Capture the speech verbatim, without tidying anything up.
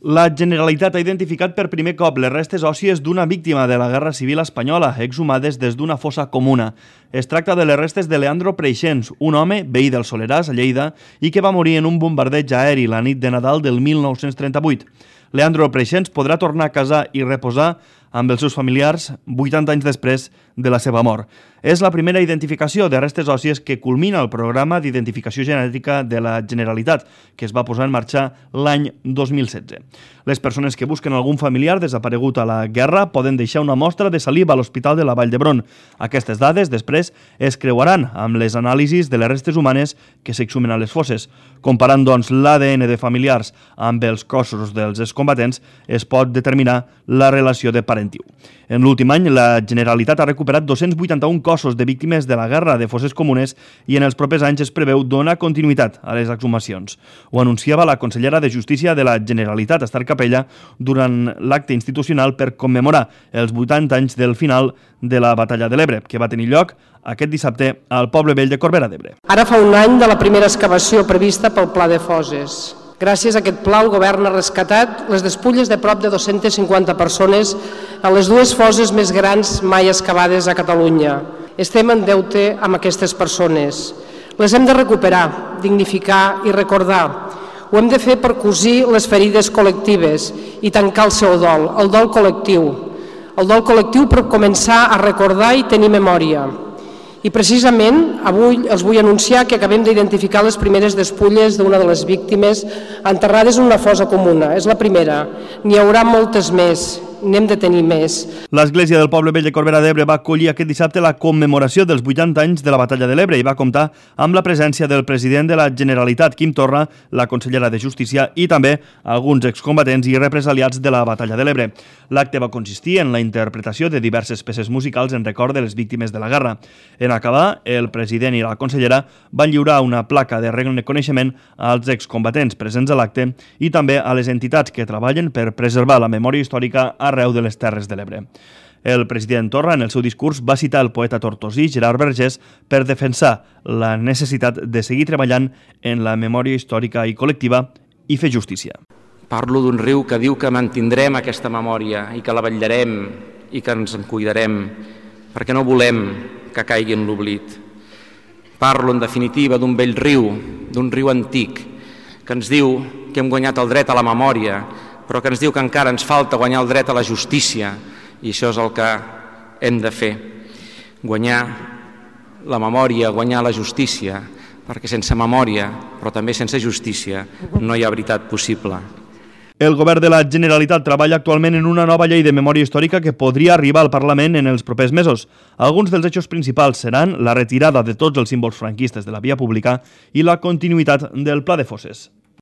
La Generalitat ha identificat per primer cop les restes òssies d'una víctima de la Guerra Civil espanyola, exhumades des d'una fossa comuna. Es tracta de les restes de Leandro Preixens, un home veí del Soleràs, a Lleida, i que va morir en un bombardeig aeri la nit de Nadal del mil nou-cents trenta-vuit. Leandro Preixens podrà tornar a casa i reposar amb els seus familiars vuitanta anys després de la seva mort. És la primera identificació de restes òssies que culmina el programa d'identificació genètica de la Generalitat, que es va posar en marxa l'any dos mil setze. Les persones que busquen algun familiar desaparegut a la guerra poden deixar una mostra de saliva a l'Hospital de la Vall d'Hebron. Aquestes dades després es creuaran amb les anàlisis de les restes humanes que s'exhumen a les fosses. Comparant, doncs, l'A D N de familiars amb els cossos dels excombatents, es pot determinar la relació de parentiu. En l'últim any, la Generalitat ha recuperat dos-cents vuitanta-un cossos de víctimes de la guerra de fosses comunes i en els propers anys es preveu donar continuïtat a les exhumacions. Ho anunciava la consellera de Justícia de la Generalitat, Esther Capella, durant l'acte institucional per commemorar els vuitanta anys del final de la Batalla de l'Ebre, que va tenir lloc aquest dissabte al Poble Vell de Corbera d'Ebre. Ara fa un any de la primera excavació prevista pel Pla de Fosses. Gràcies a aquest pla, el govern ha rescatat les despulles de prop de dues-centes cinquanta persones a les dues fosses més grans mai excavades a Catalunya. Estem en deute amb aquestes persones. Les hem de recuperar, dignificar i recordar. Ho hem de fer per cosir les ferides col·lectives i tancar el seu dol, el dol col·lectiu. El dol col·lectiu per començar a recordar i tenir memòria. I precisament avui els vull anunciar que acabem d'identificar les primeres despulles d'una de les víctimes enterrades en una fossa comuna. És la primera. N'hi haurà moltes més. N'hem de tenir més. L'Església del Poble Vell de Corbera d'Ebre va acollir aquest dissabte la commemoració dels vuitanta anys de la Batalla de l'Ebre i va comptar amb la presència del president de la Generalitat, Quim Torra, la consellera de Justícia i també alguns excombatents i represaliats de la Batalla de l'Ebre. L'acte va consistir en la interpretació de diverses peces musicals en record de les víctimes de la guerra. En acabar, el president i la consellera van lliurar una placa de reconeixement als excombatents presents a l'acte i també a les entitats que treballen per preservar la memòria històrica arreu de les Terres de l'Ebre. El president Torra, en el seu discurs, va citar el poeta tortosí Gerard Vergés per defensar la necessitat de seguir treballant en la memòria històrica i col·lectiva i fer justícia. Parlo d'un riu que diu que mantindrem aquesta memòria i que la vetllarem i que ens en cuidarem perquè no volem que caigui en l'oblit. Parlo, en definitiva, d'un vell riu, d'un riu antic, que ens diu que hem guanyat el dret a la memòria, però que ens diu que encara ens falta guanyar el dret a la justícia, i això és el que hem de fer. Guanyar la memòria, guanyar la justícia, perquè sense memòria, però també sense justícia, no hi ha veritat possible. El govern de la Generalitat treballa actualment en una nova llei de memòria històrica que podria arribar al Parlament en els propers mesos. Alguns dels eixos principals seran la retirada de tots els símbols franquistes de la via pública i la continuïtat del Pla de Fosses.